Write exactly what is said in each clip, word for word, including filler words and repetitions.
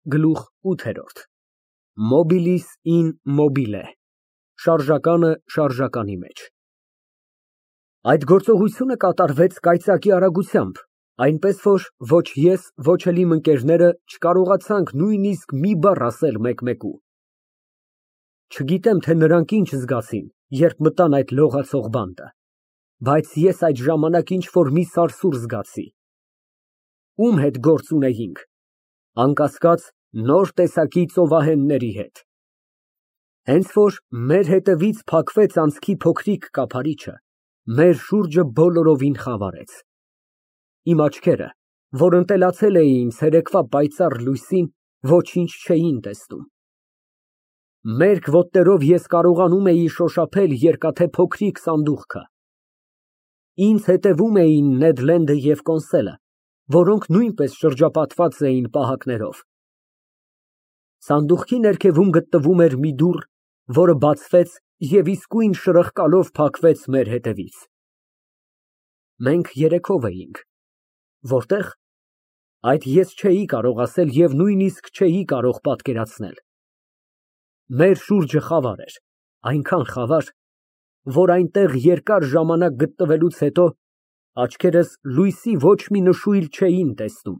Գլուխ ութ։ Mobilis in mobile շարժականը շարժականի մեջ։ Այդ գործողությունը կատարվեց կայծակի արագությամբ, այնպես որ ոչ ես, ոչ էլ իմ ընկերները չկարողացանք նույնիսկ մի բառ ասել մեկ֊մեկու։ Չգիտեմ, թե նրանք ինչ զգացին, երբ մտան այդ լողացող բանտը, բայց ես այդ ժամանակ ինչ֊որ մի սարսուռ զգացի։ Ում հետ գործ ունեինք։ Անկասկած, նոր տեսակի ծովահենների հետ։ Հենց որ մեր հետևից փակվեց անցքի փոքրիկ կափարիչը, մեր շուրջը բոլորովին խավարեց։ Իմ աչքերը, որ ընտելացել էին ցերեկվա պայծառ լույսին, ոչինչ չէին տեսնում։ Մերկ ոտներով ես կարողանում էի շոշափել երկաթե փոքրիկ սանդուղքը։ Ինձ հետևում էին Նեդ Լենդը և Կոնսելը, որոնք նույնպես շրջապատված էին պահակներով։ Սանդուղքի ներքևում գտնվում էր մի դուռ, որը բացվեց և իսկույն շրխկալով փակվեց մեր հետևից։ Մենք երեքով էինք։ Որտե՞ղ։ Այդ ես չէի կարող ասել և նույնիսկ չէի կարող պատկերացնել։ Մեր շուրջը խավար էր, այնքան խավար, որ այնտեղ երկար ժամանակ գտնվելուց հետո աչքերս լույսի ոչ մի նշույլ չէին տեսնում։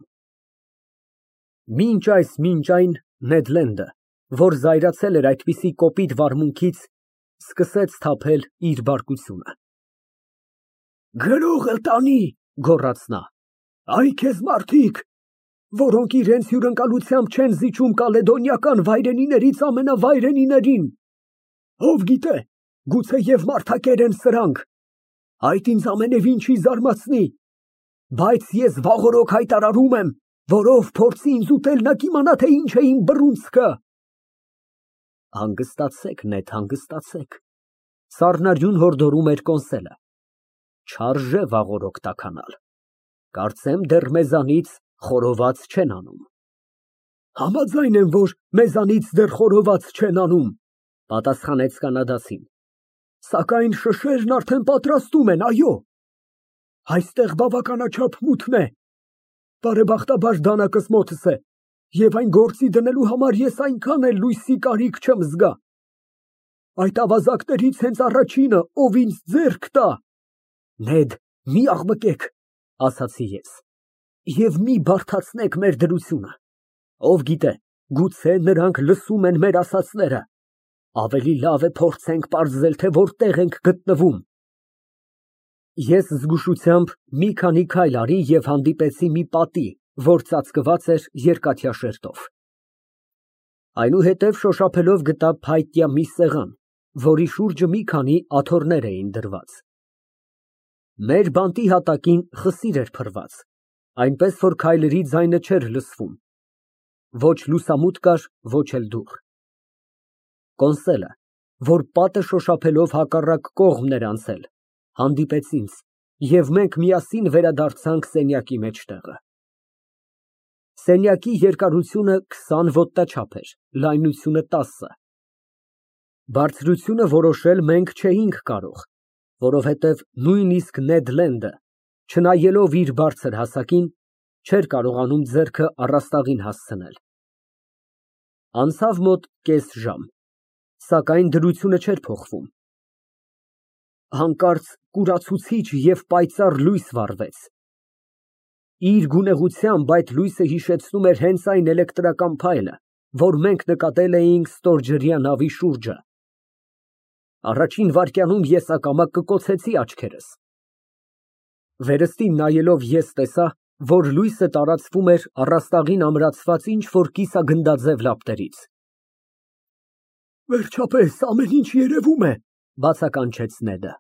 Մինչ այս մինչ այն Նեդ Լենդը, որ զայրացել էր այդպիսի կոպիտ վարմունքից, սկսեց թափել իր բարկությունը։ Գրող էլ տանի, գոռաց նա, այ քեզ մարդիկ, որոնք իրենց հյուրընկալությամբ չեն զիջում կալեդոնիական վայրենիներից ամենավայրենիներին, ով գիտե, գուցեև մարդակեր են սրանք, այդ ինձ ամենևին չի զարմացնի, բայց ես վաղօրոք հայտարարում եմ, որ ով փորձի ինձ ուտել, նա կիմանա, թե ինչ է իմ բռունցքը։ Հանգստացեք, Նեդ, հանգստացեք, սառնարյուն հորդորում էր Կոնսելը, չարժե վաղօրոք տաքանալ, կարծեմ դեռ մեզանից խորոված չեն անում։ Համաձայն եմ, որ մեզանից դեռ խորոված չեն անում, պատասխանեց կանադացին, սակայն շշերն արդեն պատրաստում են, այո, այստեղ բավականաչափ մութն է, բարեբախտաբար դանակս մոտս է, և այն գործի դնելու համար ես այնքան էլ լույսի կարիք չեմ զգա։ Այդ ավազակներից հենց առաջինը, ով ինձ ձեռք տա։ Նեդ, մի աղմկեք, ասացի ես, և մի բարդացնեք մեր դրությունը, ով գիտե, գուցե նրանք լսում են մեր ասածները, ավելի լավ է փորձենք պարզել, թե որտեղ ենք գտնվում։ Ես զգուշությամբ մի քանի քայլ արի և հանդիպեցի մի պատի, որ ծածկված էր երկաթյա շերտով։ Այնուհետև շոշափելով գտա փայտյա մի սեղան, որի շուրջը մի քանի աթոռներ էին դրված։ Մեր բանտի հատակին խսիր էր փռված, այնպես որ քայլերի ձայնը չէր լսվում, ոչ լուսամուտ կար, ոչ էլ դուռ։ Կոնսելը, որ պատը շոշափելով հակառակ կողմն էր անցել, հանդիպեց ինձ, և մենք միասին վերադարձանք սենյակի մեջտեղը։ Սենյակի երկարությունը քսան ոտնաչափ էր, լայնությունը տասը։ Բարձրությունը որոշել մենք չէինք կարող, որովհետև նույնիսկ Նեդ Լենդը, չնայելով իր բարձր հասակին, չէր կարողանում ձեռքը առաստաղին հասցնել։ Անցավ մոտ կես ժամ, սակայն դրությունը չէր փոխվում։ Հանկարծ կուրացուցիչ և պայծառ լույս վառվեց։ Իր գունեղությամբ այդ լույսը հիշեցնում էր հենց այն էլեկտրական փայլը, որ մենք նկատել էինք ստորջրյա նավի շուրջը։ Առաջին վայրկյանում ես ակամա կկոցեցի աչքերս։ Վերստին նայելով ես տեսա, որ լույսը տարածվում էր առաստաղին ամրացված ինչ֊որ կիսագնդաձև լապտերից։ Վերջապես, ամեն ինչ երևում է, բացականչեց Նեդը։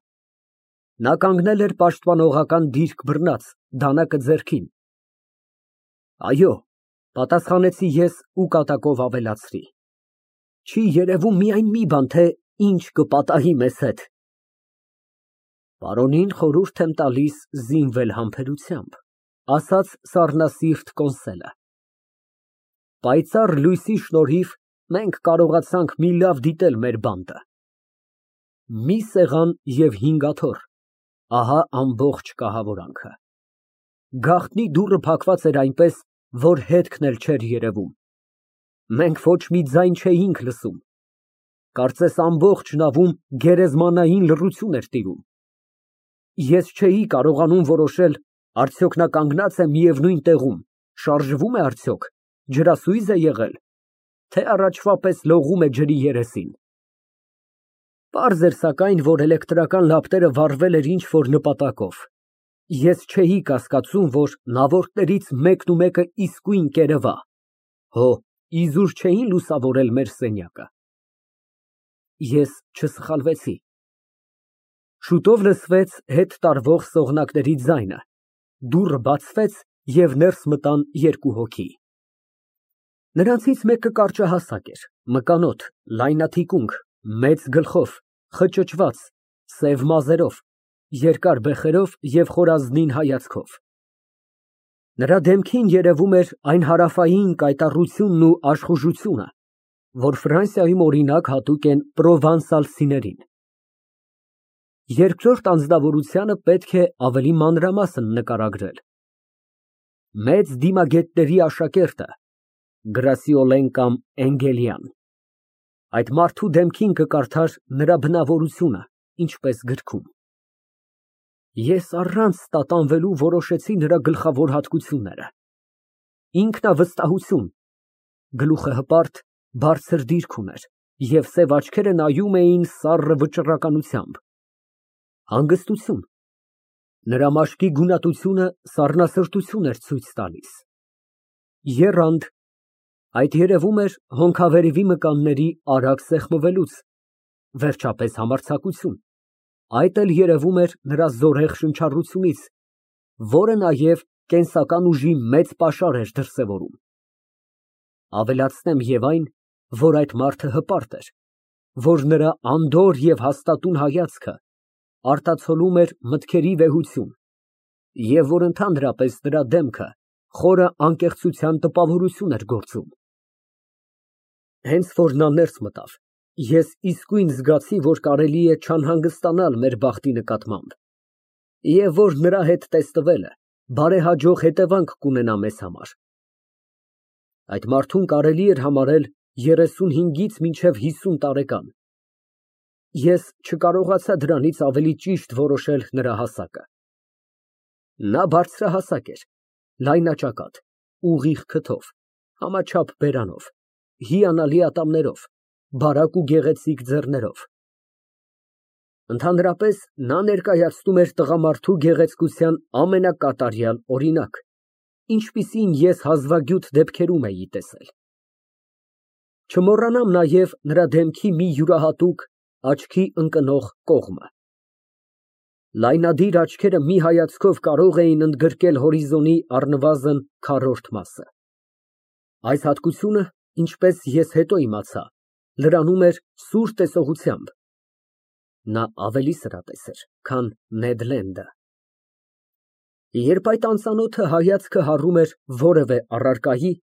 Նա կանգնել էր պաշտպանողական դիրք բռնած, դանակը ձեռքին։ Այո, պատասխանեցի ես ու կատակով ավելացրի. Չի երևում միայն մի բան, թե ինչ կպատահի մեզ հետ։ Պարոնին խորհուրդ եմ տալիս զինվել համբերությամբ, ասաց սառնասիրտ Կոնսելը։ Պայծառ լույսի շնորհիվ մենք կարողացանք մի լավ դիտել մեր բանտը։ Մի սեղան և հինգ աթոռ, ահա ամբողջ կահավորանքը։ Գաղտնի դուռը փակված էր այնպես, որ հետքն էլ չէր երևում։ Մենք ոչ մի ձայն չէինք լսում, կարծես ամբողջ նավում գերեզմանային լռություն էր տիրում։ Ես չէի կարողանում որոշել, արդյոք նա կանգնած է միևնույն տեղում, շարժվում է արդյոք, ջրասույզ է եղել, թե առաջվա պես լողում է ջրի երեսին։ Պարզ էր սակայն, որ էլեկտրական լապտերը վառվել էր ինչ֊որ նպատակով։ Ես չէի կասկածում, որ նավորդներից մեկն ու մեկը իսկույն կերևա, հո, իզուր չէին լուսավորել մեր սենյակը։ Ես չսխալվեցի։ Շուտով լսվեց հետ տարվող սողնակների ձայնը, դուռը բացվեց և ներս մտան երկու հոգի։ Նրանցից մեկը կարճահասակ էր, մկանոտ, լայնաթիկունք, մեծ գլխով, խճճված, սև մազերով, երկար բեխերով և խորազնին հայացքով։ Նրա դեմքին երևում էր այն հարավային կայտառությունն ու աշխուժությունը, որ Ֆրանսիայում օրինակ հատուկ են պրովանսալցիներին։ Երկրորդ անձնավորությանը պետք է ավելի մանրամասն նկարագրել։ Մեծ դիմագետների աշակերտը, Գրասիօլեն կամ Էնգելյան, այդ մարդու դեմքին կկարդար նրա բնավորությունը, ինչպես գրքում։ Ես առանց տատանվելու որոշեցի նրա գլխավոր հատկությունները։ Ինքնավստահություն, գլուխը հպարտ, բարձր դիրք ուներ և սև աչքերը նայում էին սառը վճռականությամբ։ Հանգստություն, նրա մաշկի գունատությունը սառնասրտություն էր ցույց տալիս։ Եռանդ, այդ երևում էր հոնքավերևի մկանների արագ սեղմվելուց, վերջապես համարձակություն, այդ էլ երևում էր նրա զորեղ շնչառությունից, որը նաև կենսական ուժի մեծ պաշար էր դրսևորում։ Ավելացնեմ և այն, որ այդ մարդը հպարտ էր, որ նրա անդորր և հաստատուն հայացքը արտացոլում էր մտքերի վեհություն և որ ընդհանրապես նրա դեմքը խորը անկեղծության տպավորություն էր գործում։ Հենց որ նա ներս մտավ, ես իսկույն զգացի, որ կարելի է չանհանգստանալ մեր բախտի նկատմամբ և որ նրա հետ տեսնվելը բարեհաջող հետևանք կունենա մեզ համար։ Այդ մարդուն կարելի էր համարել երեսունհինգից մինչև հիսուն տարեկան։ Ես չկարողացա դրանից ավելի ճիշտ որոշել նրա հասակը։ Նա բարձրահասակ էր, լայնաճակատ, ուղիղ քթով, համաչափ բերանով, հիանալի ատամներով, բարակ ու գեղեցիկ ձեռներով։ Ընդհանրապես, նա ներկայացնում էր տղամարդու գեղեցկության ամենակատարյալ օրինակ, ինչպիսին ես հազվագյուտ դեպքերում էի տեսել։ Չմոռանամ նաև նրա դեմքի մի յուրահատուկ, աչքի ընկնող կողմը։ Լայնադիր աչքերը մի հայացքով կարող էին ընդգրկել հորիզոնի առնվազն քառորդ մասը։ Այս հատկությունը, ինչպես ես հետո իմացա, լրանում էր սուր տեսողությամբ։ Նա ավելի սրատես էր, քան Նեդ Լենդը։ Երբ այդ անծանոթը հայացքը հառում էր որևէ առարկայի,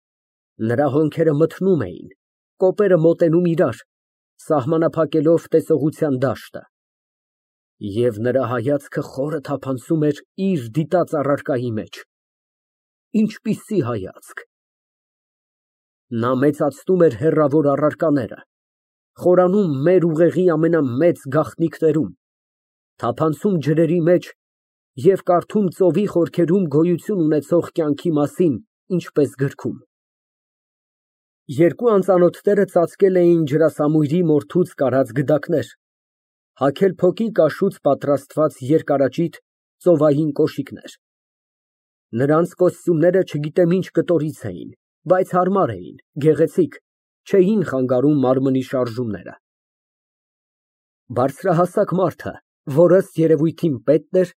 նրա հոնքերը մթնում էին, կոպերը մոտենում իրար, սահմանափակելով տեսողության դաշտը, և նրա հայացքը խորը թափանցում էր իր դիտած առարկայի մեջ։ Ինչպիսի հայացք։ Նա մեծացնում էր հեռավոր առարկաները, խորանում մեր ուղեղի ամենամեծ գաղտնիքներում, թափանցում ջրերի մեջ և կարդում ծովի խորքերում գոյություն ունեցող կյանքի մասին, ինչպես գրքում։ Երկու անծանոթները ծածկել էին ջրասամույրի մորթուց կարած գդակներ, հագել փոքի կաշուց պատրաստված երկարաճիտ ծովային կոշիկներ։ Նրանց կոստյումները չգիտեմ ինչ կտորից էին, բայց հարմար էին, գեղեցիկ, չէին խանգարում մարմնի շարժումները։ Բարձրահասակ մարդը, որ ըստ երևույթին պետն էր,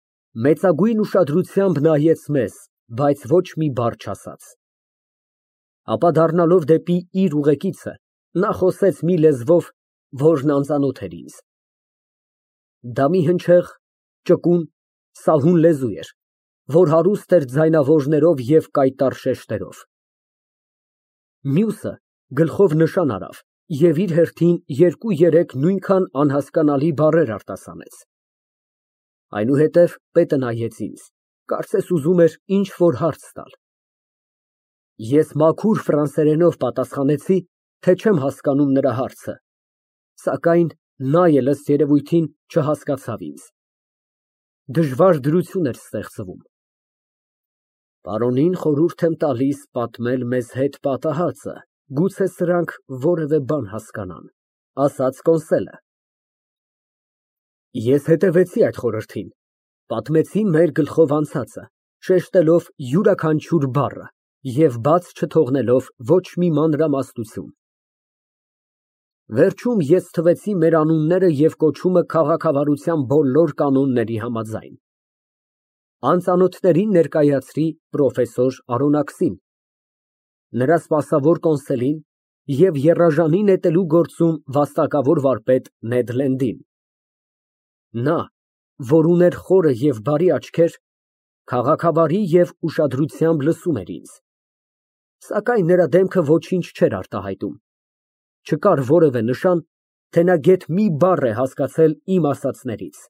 մեծագույն ուշադրությամբ նայեց մեզ, բայց ոչ մի բառ չասաց։ Ապա դառնալով դեպի իր ուղեկիցը, նա խոսեց մի լեզվով, որն անծանոթ էր ինձ։ Դա մի հնչեղ, ճկուն, սահուն լեզու էր, որ հարուստ էր ձայնավորներով և կայտառ շեշտերով։ Մյուսը գլխով նշան արավ և իր հերթին երկու֊երեք նույնքան անհասկանալի բառեր արտասանեց։ Այնուհետև պետը նայեց ինձ, կարծես ուզում էր ինչ֊որ հարց տալ։ Ես մաքուր ֆրանսերենով պատասխանեցի թե չեմ հասկանում նրա հարցը, սակայն նա էլ ըստ երևույթին չհասկացավ ինձ։ Դժվար դրություն էր ստեղծվում։ Պարոնին խորհուրդ եմ տալիս պատմել մեզ հետ պատահածը, գուցե սրանք որևէ բան հասկանան, ասաց Կոնսելը։ Ես հետևեցի այդ խորհրդին, պատմեցի մեր գլխով անցածը, շեշտելով յուրաքանչյուր բառը և բաց չթողնելով ոչ մի մանրամասնություն։ Վերջում ես թվեցի մեր անունները և կոչումը քաղաքավարության բոլոր կանոնների համաձայն։ Անծանոթներին ներկայացրի պրոֆեսոր Արոնակսին, նրա սպասավոր Կոնսելին և եռաժանի նետելու գործում վաստակավոր վարպետ Նեդ Լենդին։ Նա, որ ուներ խորը և բարի աչքեր, քաղաքավարի և ուշադրությամբ լսում էր ինձ, սակայն նրա դեմքը ոչինչ չէր արտահայտում, չկար որևէ նշան, թե նա գեթ մի բառ է հասկացել իմ ասածներից։